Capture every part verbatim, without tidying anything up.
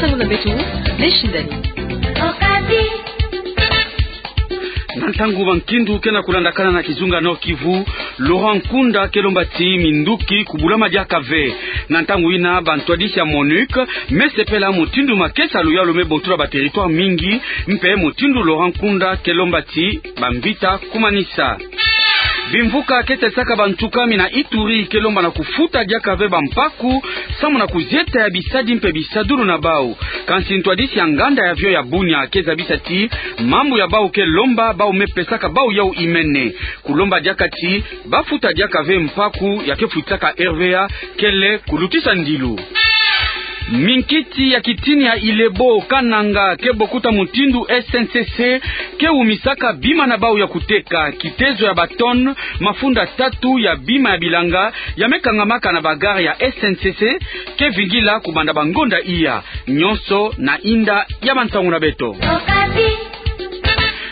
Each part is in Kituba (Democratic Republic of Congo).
Ntangu na beto, Blessing Dani. Na ntangu bankindu ke na kulandakana na kizunga Nord-Kivu, Laurent Nkunda ke lomba ti minduki kubulama diaka ve. Na ntangu yina, bantwadisi ya MONUC me sepela mutindu makesa ya luyalu me botula ba territoire mingi, mpe mutindu Laurent Nkunda ke lomba ti bamvita kumanisa. Bimvuka ke salisaka bantu kumi na Ituri ke lomba na kufuta diaka ve bampaku, samu na kuzieta ya bisadi mpe bisadulu na bau. Kansi ntwadisi ya nganda ya avion ya Bunia ke zabisa ti mambu ya bau ke lomba bau me pesaka bau yau imene. Kulomba diaka ti bafuta diaka ve mpaku ya ke futisaka R V A kele kulutisa ndilu. Minkiti ya kitini ya Ilebo Kananga ke bokuta mutindu S N C C ke wumisaka bima na bau ya kuteka, kitezo ya ba tonnes mafunda tatu ya bima ya bilanga ya me kangamaka na ba gare ya S N C C ke vingila kubanda bangonda iya. Nyonso na inda ya bansangu na beto.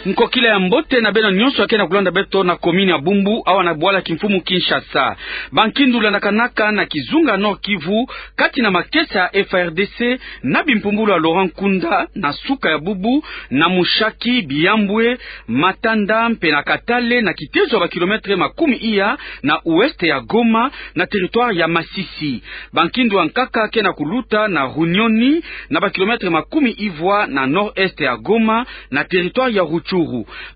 Nkokila ya mbote na beno nyonso ya ke na kulanda beto na commune ya Bumbu, awa na bwala kimfumu Kinshasa. Bankindu landakanaka na kizunga Nord-Kivu, kati na makesa ya F A R D C na bimpumbulu ya Laurent Nkunda na suka ya bubu, na Mushaki, Bihambwe, Matanda mpe na Katale, na kitezo ya ba kilomètre makumi iya na ouest ya Goma, na territoire ya Masisi. Bankindu ya nkaka ke na kuluta na Runyoni, na ba kilomètre makumi ivwa na nord-est ya Goma, na territoire ya Rutshuru.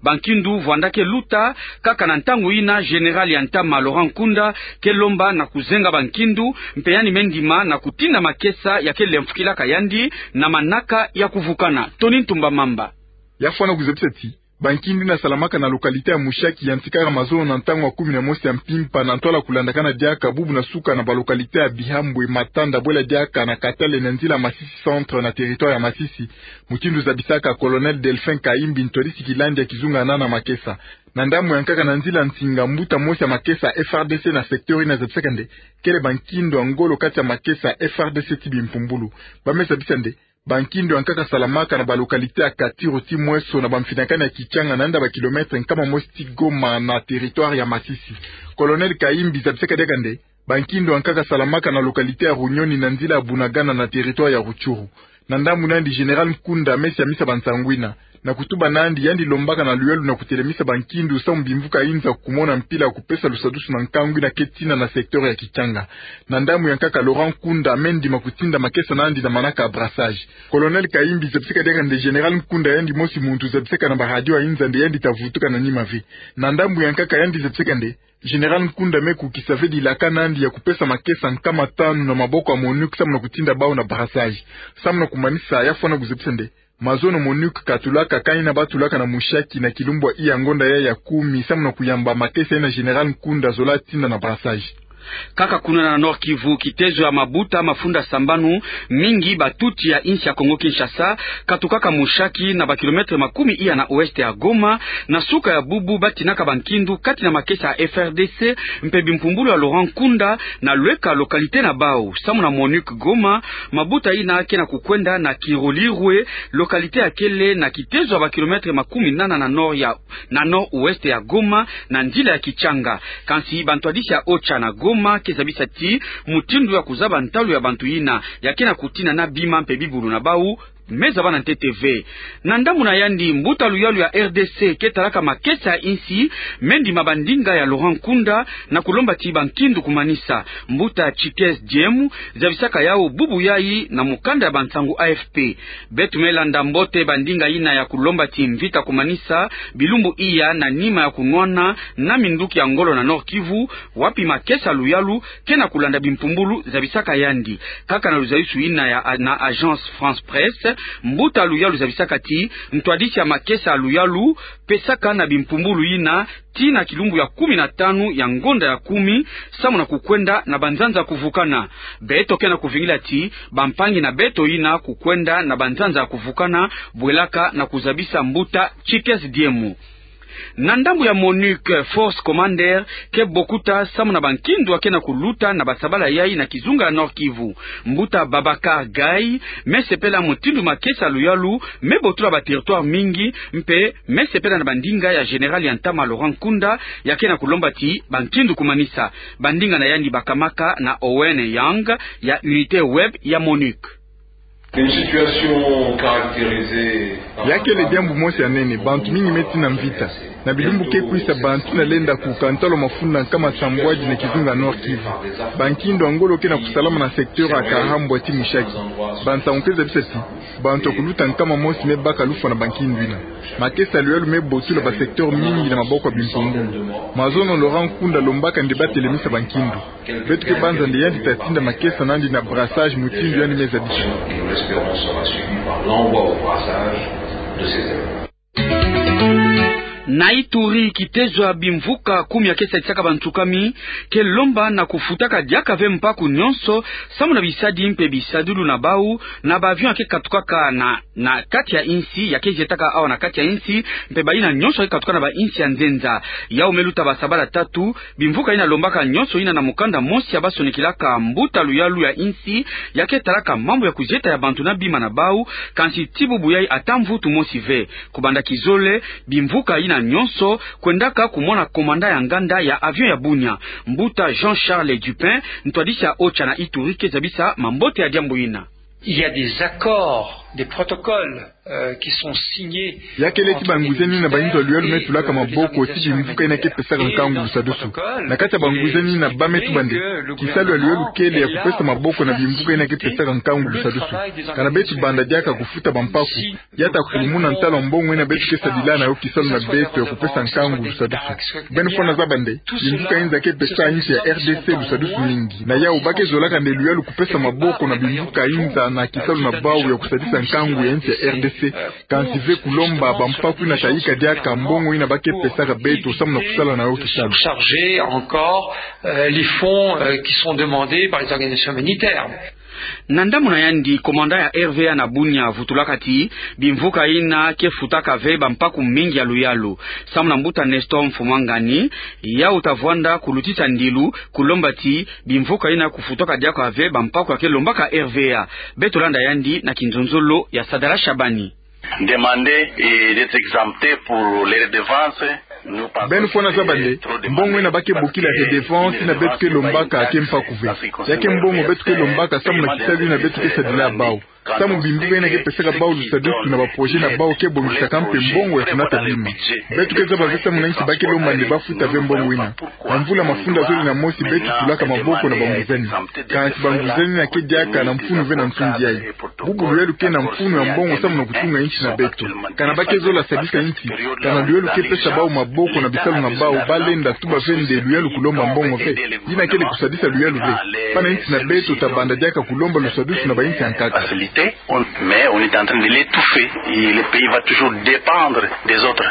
Bankindu vwanda ke luta, kaka na ntangu yina général ya ntama Laurent Nkunda ke lomba na kuzenga bankindu, mpe yandi me ndima na kutinda makesa ya ke lemfukilaka yandi na manaka ya kuvukana. Tony Ntumba Mamba. Ya fwana kuzabisa ti bankindu yina salamaka na localité ya Mushaki yantikaka mazono na ntangu ya kumi na mosi ya mpimpa, na ntwala kulandakana diaka bubu na suka na ba localité ya Bihambwe, Matanda, bwela diaka na Katale na nzila Masisi Centre na territoire ya Masisi. Mutindu zabisaka Colonel Delphin Kayimbi, ntwadisi kilandi ya kizunga na makesa. Na ndambu ya nkaka, na nzila nsinga, mbuta mosi ya makesa F A R D C na secteur yina zabisaka nde kele bankindu ya ngolo kati ya makesa F A R D C ti bimpumbulu. Ba me zabisa nde bankindu ya nkaka salamaka na ba localité ya Katiro ti Mweso na bamfinakani ya Kitshanga, na nda ba kilomètre nkama mosi ti Goma, na territoire ya Masisi. Colonel Kayimbi zabisaka diaka nde bankindu ya nkaka salamaka na localité ya Runyoni na nzila ya Bunagana na territoire ya Rutshuru. Na ndambu na yandi, général Nkunda me siamisa bansangu yina. Na kutuba na yandi, yandi lombaka na luyalu na kutelemisa bankindu samu bimvuka yinza kumona mpila ya kupesa lusadusu na nkangu yina ke tina na secteur ya Kitshanga. Na ndambu ya nkaka, Laurent Nkunda me ndima kutinda makesa na yandi na manaka ya brassage. Colonel Kayimbi zabisaka diaka nde général Nkunda yandi mosi muntu zabisaka na ba radio ya yinza nde yandi ta vutuka na nima ve. Na ndambu ya nkaka, yandi zabisaka nde général Nkunda me kukisa ve dilaka na yandi ya kupesa makesa nkama tanu na maboko ya MONUC samu na kutinda bau na brassage. Samu na kumanisa, ya fwana kuzabisa nde mazono MONUC katulaka kani yina ba tulaka na Mushaki na kilumbu iya ngonda ya ya kumi samu na kuyamba makesa yina général Nkunda zola tinda na brassage. Kaka kuna na Nord-Kivu, kitezo ya mabuta mafunda sambanu, mingi batuti ya insi ya Kongo-Kinshasa, katukaka Mushaki, na ba kilomètre makumi iya na ouest ya Goma, na suka ya bubu ba tinaka bankindu kati na makesa ya F A R D C mpe bimpumbulu ya Laurent Nkunda na lweka localité na bau. Samu na MONUC Goma, mabuta yina ke na kukwenda na Kirolirwe, localité ya kele na kitezo ya ba kilomètre makumi nana na nord ya, na nord-ouest ya Goma, na nzila ya Kitshanga. Kansi bantwadisi ya OCHA na Goma ke zabisa ti mutindu ya kuzaba ntalu ya bantu yina ya ke na kutinana bima mpe bibulu na bau me zaba na ntete ve. Na ndambu na yandi, mbuta luyalu ya R D C ke talaka makesa ya insi me ndima bandinga ya Laurent Nkunda na kulomba ti bankindu kumanisa. Mbuta Chikes Diemu zabisaka yau bubu yayi na mukanda ya bansangu A F P. Beto me landa mbote bandinga yina ya kulomba ti mvita kumanisa bilumbu iya na nima ya kunwana na minduki ya ngolo na Nord-Kivu, wapi makesa luyalu ke na kulanda bimpumbulu, zabisaka yandi. Kaka na luzayusu yina ya, na Agence France Presse, mbuta luyalu zabisaka ti ntwadisi ya makesa luyalu pesaka na bimpumbulu yina tii na kilumbu ya kumi na tanu ya ngonda ya kumi, samu na kukwenda na banzanza kuvukana. Beto ke na kuvingila ti bampangi na beto yina kukwenda na banzanza kuvukana, bwelaka na kuzabisa mbuta Chikes Diemu. Na ndambu ya MONUC, Force Commander ke bokuta samu na bankindu ya ke na kuluta na basabala yayi na kizunga ya Nord-Kivu. Mbuta Babacar Gaye me sepela mutindu makesa luyalu me botula ba territoire mingi, mpe me sepela na bandinga ya général ya ntama Laurent Nkunda ya ke na kulomba ti bankindu kumanisa. Bandinga na yandi bakamaka na Owen Yang ya Unité Web ya MONUC. Une situation caractérisée par... Ya kele diambu mosi ya nene, bantu mingi me tina mvita. Na bilumbu ke kwisa bantu na lenda kuka ntalu mafunda nkama sambwadi na kizunga Nord-Kivu. Bankindu ya ngolo ke na kusalama na secteur ya Kahambwa ti Mushaki. Bansangu ke zabisa ti bantu ya kuluta nkama mosi me baka lufwa na bankindu yina. Makesa ya luyalu me botula ba secteur mingi na maboko ya bimpungulu. Mazono Laurent Nkunda alombaka nde ba telemisa bankindu. Beto ke banza nde yandi ta tinda makesa nandi na brassage mutindu yandi me zabisa. Et nous l'espérons sera suivi par l'envoi au brassage de ces éléments. Na Ituri, kitezo ya bimvuka kumi ya ke sadisaka bantsukami ke lomba na kufutaka diaka ve mpaku nyonso samu na bisadi mpe bisadulu na bau na ba avion ya ke katukaka na, na kati ya insi, ya ke jetaka awa na kati ya insi, mpe bayina nyonso ya ke katuka na bainsi ya nzenza. Yau me luta basabala tatu, bimvuka yina lombaka nyonso yina na mukanda mosi ya ba sonikilaka mbuta luyalu ya insi ya ke talaka mambu ya kujeta ya bantu na bima na bau, kansi ti bubu yai ata mvutu mosi ve. Kubanda kizole, bimvuka yina nyonso kwendaka kumona komanda ya nganda ya avion ya Bunia, mbuta Jean-Charles Dupin, ntwadisi ya OCHA na Ituri, ke zabisa mambote ya diambu yina. Il y a des accords, des protocoles, euh, qui sont signés. Ya kele ti bangwizani na bayinzo ya luyalu me tulaka maboko ti bimvuka yina ke pesaka nkangu lusadusu. Na kati ya bangwizani yina ba me tuba nde kisalu ya luyalu kele ya kupesa maboko na bimvuka yina ke pesaka nkangu lusadusu. Kana beto banda diaka kufuta bampaku, ya ta kulumuna ntalu mbongo yina beto ke sadila na yo kisalu na beto ya kupesa nkangu lusadusu. Beno fwana zaba nde bimvuka yinza ke pesa insi ya R D C lusadusu mingi. Na yau ba ke zolaka nde luyalu kupesa maboko na bimvuka yinza na kisalu na bau ya kusadisa nkangu ya insi ya R D C. Kansi ve kulomba bampaku yina ta yika diaka mbongo yina ba ke pesaka beto samu na kusala na yo kisalu. Surcharger encore, euh, les fonds, euh, qui sont demandés par les organisations humanitaires. Na ndamuna yandi, komanda ya R V A na Bunia avutulaka ti bimvuka yina ke futaka ve bampaku mingi ya luyalu. Samu na mbuta Nestor Mfumangani, yau ta vwanda kulutisa ndilu, kulomba ti bimvuka yina kufutaka diaka ve bampaku ya ke lombaka R V A. Beto landa yandi na kinzonzolo ya Sadala Shabani. Demander, eh, d'être exempté pour les redevances. Beno fwana zaba nde mbongo yina ba ke bokila redevance yina beto ke lombaka ke mpaku ve. Ya ke mbongo beto ke lombaka samu na kisalu yina beto ke sadila bau. Samu bimvuka yina ke pesaka bau lusadusu na ba projet na bau ke bongisaka mpe mbongo ya kunata bima. Beto ke zaba ve samu na inki ba ke lomba nde ba futa ve mbongo yina. Na mvula mafunda zole na mosi beto tulaka maboko na bangwizani. Kansi bangwizani yina ke diaka na mfunu ve na nsundi yayi. Bubu luyalu ke na mfunu ya mbongo samu na kutunga insi na beto. Kana ba ke zola sadisa insi, kana luyalu ke pesa bau maboko na bisalu na bau, ba lenda tuba ve nde luyalu kulomba mbongo ve. Yina kele kusadisa luyalu ve. Pana insi na beto ta banda diaka kulomba lusadusu na bainsi ya nkaka. Mais on est en train de l'étouffer. Et le pays va toujours dépendre des autres.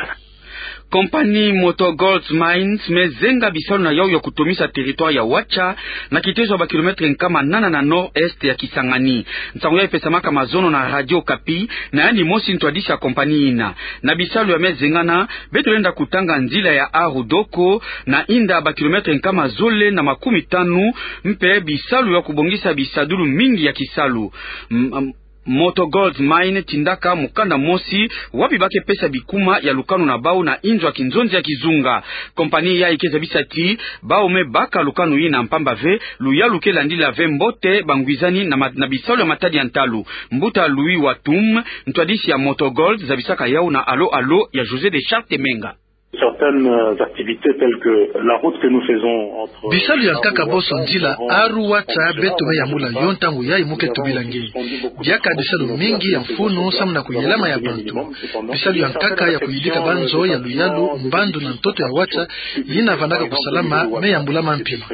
Compagnie Moto Gold Mines me zenga bisalu na yau ya kutomisa territoire ya Ouacha, na kitezo ya ba kilomètre nkama nana na nord-est ya Kisangani. Nsangu yayi epesamaka mazono na Radio Okapi, na yandi mosi ntwadisi ya compagnie yina. Na bisalu ya me zengana, beto lenda kutanga nzila ya Aru Doko, na inda ba kilomètre nkama zole na makumi tanu, mpe bisalu ya kubongisa bisadulu mingi ya kisalu. M-, m-, Moto Gold Mine tindaka mukanda mosi wapi ba ke pesa bikuma ya lukanu na bau na inzo ya kinzonzi ya kizunga. Compagnie yayi ke zabisa ti bau me baka lukanu yina mpamba ve luyalu ke landila ve mbote bangwizani na ma-, na bisalu ya matadi ya ntalu. Mbuta Louis Watum, ntwadisi ya Moto Gold, zabisaka yau na Alo Alo ya José de Charles Temenga. Certaines activités telles que la route que nous faisons entre... Bisalu ya nkaka bonso nzila Aru Ouacha beto me yambula yo ntangu yayi mu ke tubila nge. Diaka bisalu mingi ya mfunu samu na kuyelama ya bantu. Bisalu ya nkaka ya kuyidika banzo ya luyalu, mbandu na ntoto ya Ouacha yina vandaka kusalama me yambulama mpi.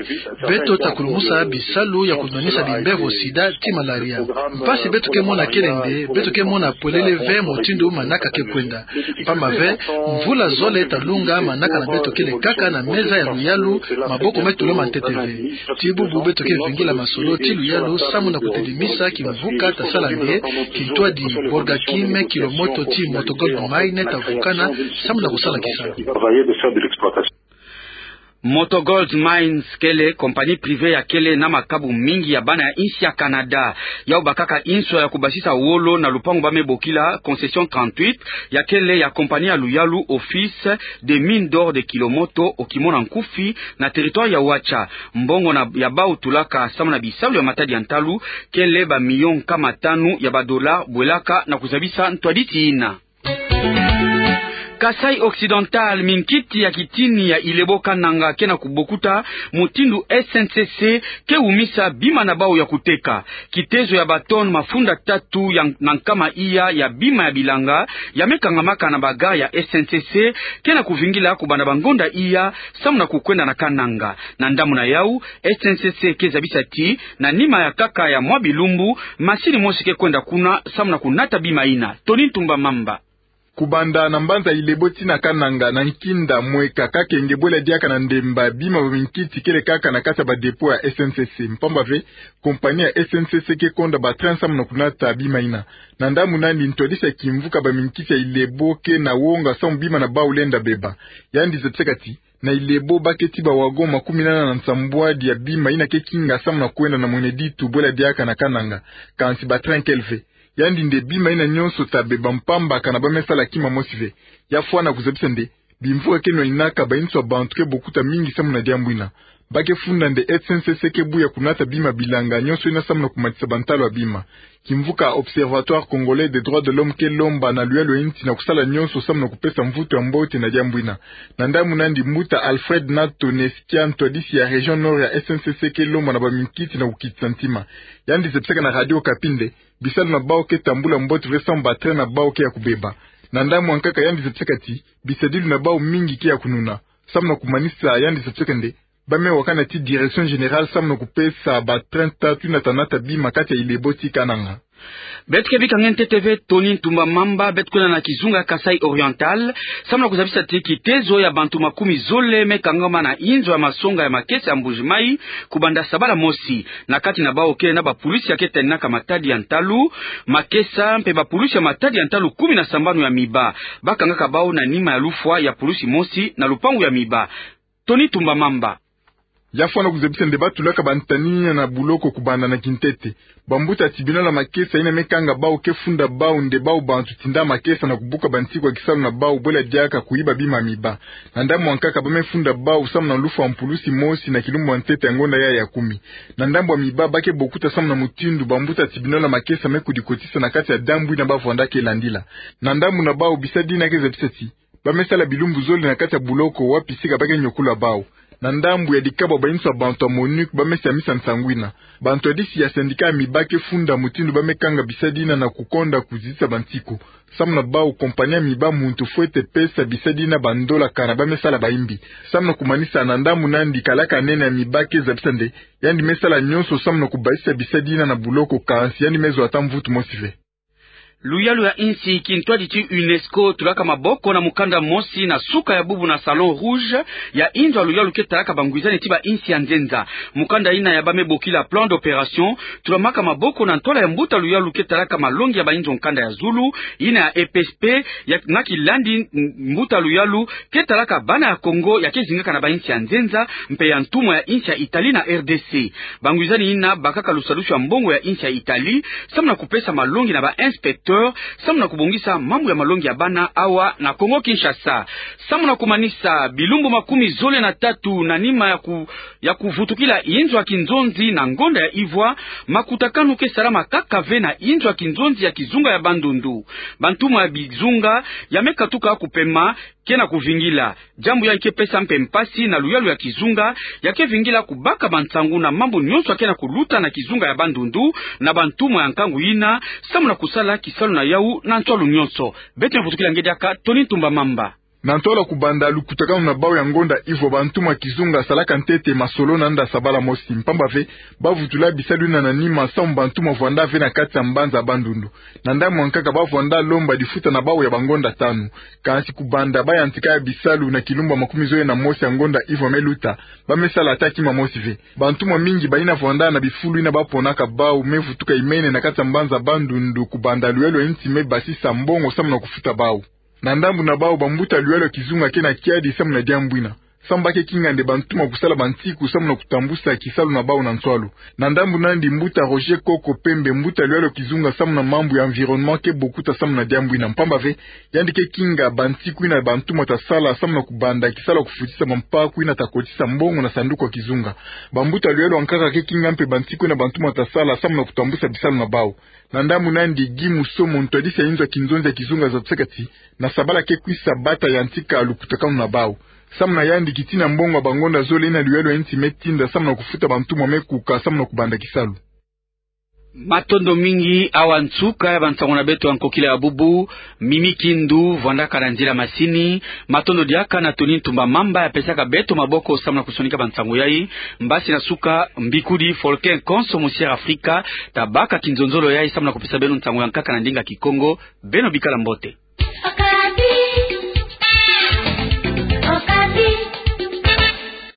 Beto ta kulumusa bisalu ya kunwanisa bimbevo sida ti malaria. Mpasi beto ke mona kele nde beto ke mona polele ve mutindu manaka ke kwenda. Mpamba ve, mvula zole ta lunga manaka na beto kele kaka na meza ya luyalu, maboko me tulama ntete ve. Ti bubu beto ke vingila masolo ti luyalu samu na kutelimisa kimvuka ta sala nde kintwadi Borgakime, kilomoto ti Moto Gold Mine ta vukana samu na kusala kisalu. Moto Gold Mines kele compagnie privée ya kele na makabu mingi ya bana ya insi ya Canada. Yau bakaka inswa ya kubasisa wolo na lupangu ba me bokila concession trente-huit, ya kele ya compagnie ya luyalu Office des Mines d'Or de Kilomoto, okimona nkufi na territoire ya Watcha. Mbongo na ya bau tulaka samu na bisalu ya matadi ya ntalu kele ba million nkama tanu ya ba dollars, bwelaka na kuzabisa ntwadisi ina. Kasaï Occidental, minkiti ya kitini ya Ilebo Kananga ke na kubokuta mutindu S N C C ke wumisa bima na bau ya kuteka. Kitezo ya ba tonnes mafunda tatu ya, na nkama iya ya bima ya bilanga ya me kangamaka na ba gare ya S N C C ke na kuvingila kubanda ba ngonda iya samu na kukwenda na Kananga. Na ndambu na yau, S N C C ke zabisa ti na nima ya nkaka ya mwa bilumbu, masini mosi ke kwenda kuna samu na kunata bima ina. Tony Ntumba Mamba. Kubanda na mbanza Ilebo tii na Kananga na nkinda mweka kakenge bwela diaka na ndemba, bima ba minkiti kele kaka na kati ya ba dépôt ya S N C C. Mpamba ve, compagnie ya S N C C ke konda ba train samu na kunata bima ina. Na ndambu nandi, ntwadisi ya kimvuka ba minkiti ya Ilebo ke na wonga samu bima na bau lenda beba. Yandi zabisaka ti na Ilebo ba ke tii ba wagon makumi nana na nsambwadi ya bima ina ke kinga samu na kwenda na Mweneditu bwela diaka na Kananga. Kansi ba train kele ve. Yandi nde bima ina nyonso ta beba mpamba kana ba me sala kima mosi ve. Ya fwana kuzabisa nde bimvuka ke nwaninaka ba inswa bantu ke bokuta mingi samu na diambu ina. Ba ke funda nde S N C C ke buya kunata bima bilanga nyonso ina samu na kumatisa ba ntalu ya bima. Kimvuka Observatoire Congolais des Droits de l'Homme ke lomba na luyalu ya insi na kusala nyonso samu na kupesa mvutu ya mbote na diambu ina. Na ndambu nandi, mbuta Alfred Nato Neskia, ntwadisi ya région Nord ya S N C C, ke lomba na ba minkiti na kukitisa ntima. Yandi zabisaka na Radio Okapi nde bisalu na bau ke tambula mbote ve samu ba train na bau ke ya kubeba. Na ndambu ya nkaka, yandi zabisaka ti bisadilu na bau mingi ke ya kununa. Samu na kumanisa, yandi zabisaka nde ba me wakana tii direction générale samu na kupesa ba train tatu ina ta nata bima kati ya Ilebo tii Kananga. Beto ke bika nge ntete ve Tony Ntumba Mamba. Beto kwenda na kizunga Kasaï Oriental samu na kuzabisa ti kitezo ya bantu makumi zole me kangama na inzo ya masonga ya makesa ya Mbuji-Mayi kubanda sabala mosi. Na kati na bau kele na ba pulusi ya ke taninaka matadi ya ntalu, makesa mpe ba pulusi ya matadi ya ntalu kumi na sambanu ya miba. Ba kangaka bau na nima ya lufwa ya pulusi mosi na lupangu ya miba. Tony Ntumba Mamba. Ya fwana kuzabisa nde ba tulaka ba ntanina na buloko kubanda na kintete. Ba mbuta ya tribunal ya makesa ina me kanga bau ke funda bau nde bau bantu tinda makesa na kubuka ba nsiku ya kisalu na bau bwela diaka kuyiba bima ya miba. Na ndambu ya nkaka, ba me funda bau samu na lufwa mpulusi mosi na kilumbu ya ntete ya ngonda ya ya kumi. Na ndambu ya miba, ba ke bokuta samu na mutindu ba mbuta ya tribunal ya makesa me kudikotisa na kati ya diambu ina ba vwanda ke landila. Na ndambu na bau, bisadi ina ke zabisa ti ba me sala bilumbu zole na kati ya buloko wapi sika ba ke nyokula bau. Na ndambu ya dikabo ya ba inswa bantu ya MONUC, ba me siamisa nsangu ina. Ba ntwadisi ya syndicat ya miba ke funda mutindu ba me kanga bisadi ina na kukonda kuzitisa ba nsiku. Samu na bau, compagnie ya miba muntu fwete pesa bisadi ina ba ndola kana ba me sala bayimbi. Samu na kumanisa, na ndambu nandi, kalaka nene ya miba ke zabisa nde yandi me sala nyonso samu na kubasisa bisadi ina na buloko, kansi yandi me zwa ata mvutu mosi ve. Luyalu ya insi, kintwadi ti UNESCO tulaka maboko na mukanda mosi na suka ya bubu na Salon Rouge ya inzo ya luyalu ke talaka ba ngwizani ti ba insi ya nzenza. Mukanda ina ya ba me bokila plan d'opération tulamaka maboko na ntwala ya mbuta luyalu ke talaka malongi ya ba inzo nkanda ya zulu, ina ya E P S P, ya na kilandi m-, mbuta luyalu ke talaka bana ya Kongo ya ke zingaka na ba insi ya nzenza, mpe ya ntumwa ya insi ya Italie na R D C. Ba ngwizani ina bakaka lusadusu ya mbongo ya insi ya Italie, samu na kupesa malongi na ba inspecteur, samu na kubongisa mambu ya malongi ya bana awa na Kongo Kinshasa. Samu na kumanisa, bilumbu makumi zole na tatu na nima ya ku-, ya kuvutukila inzo ya kinzonzi na ngonda ya Ivwa, makutakanu ke salama kaka ve na inzo ya kinzonzi ya kizunga ya Bandundu. Ba ntumwa ya bizunga ya me katuka kupema ke na kuvingila. Diambu yayi ke pesa mpe mpasi na luyalu ya kizunga, ya ke vingila kubaka ba nsangu na mambu nyonso ya ke na kuluta na kizunga ya Bandundu na ba ntumwa ya nkangu ina, samu na kusala kisalu na yau na ntwalu nyonso. Beto me vutukila nge diaka, Tony Ntumba Mamba. Na ntwala kubanda lukutakanu na bau ya ngonda Ivwa, ba ntumwa ya kizunga salaka ntete masolo na nda sabala mosi. Mpamba ve, ba vutula bisalu ina na nima samu ba ntumwa vwanda ve na kati ya mbanza Bandundu. Na ndambu ya nkaka, ba vwanda lomba difuta na bau ya ba ngonda tanu. Kansi kubanda ba yantika bisalu na kilumbu ya makumi zole na mosi ya ngonda Ivwa me luta, ba me sala ata kima mosi ve. Ba ntumwa mingi ba ina vwanda na bifulu ina ba ponaka bau me vutuka imene na kati ya mbanza Bandundu kubanda luyalu ya insi me basisa mbongo samu na kufuta bau. Na ndambu na bau, ba mbuta luyalu ya kizunga ke na kiadi samu na diambu ina. Samu ba ke kinga nde bantuma kusala bantiku samu na kutambusa kisalu na bau na nswalu. Na ndambu nandi, mbuta Roger Koko Pembe, mbuta luyalo kizunga samu na mambu ya environnement, ke bokuta samu na diambu ina, mpamba ve yandi ke kinga bantiku ina bantuma ta sala samu na kubanda kisalu ya kufutisa bampaku ina ta kotisa mbongo na sanduku ya kizunga. Bambuta luyalo ankaka ke kinga mpe bantiku ina bantuma ta sala samu na kutambusa bisalu na bau. Na ndambu nandi, Guy Musomo, ntwadisi ya inzo ya kinzonzi ya kizunga Zatsekati, na sabala ke kwisa bata yantika lukutakanu na bau. Samu na yandi, kiti na mbongo ya bangonda zole ina luyalo ya insi me tinda samu na kufuta bantuma me kuka samu na kubanda kisalu. Matondo mingi. Awa nsuka ya bansango na beto ya nkokila ya bubu. Mimi Kindu vwandaka na nzila masini. Matondo diaka na Tony Ntumba Mamba ya pesaka beto maboko samu na kusonika bansango yai. Mbasi na suka, mbikudi Folkin Konso, Musière Afrika, ta baka kinzonzolo yai samu na kupesa beno nsango ya nkaka na ndinga Kikongo. Beno bikala mbote.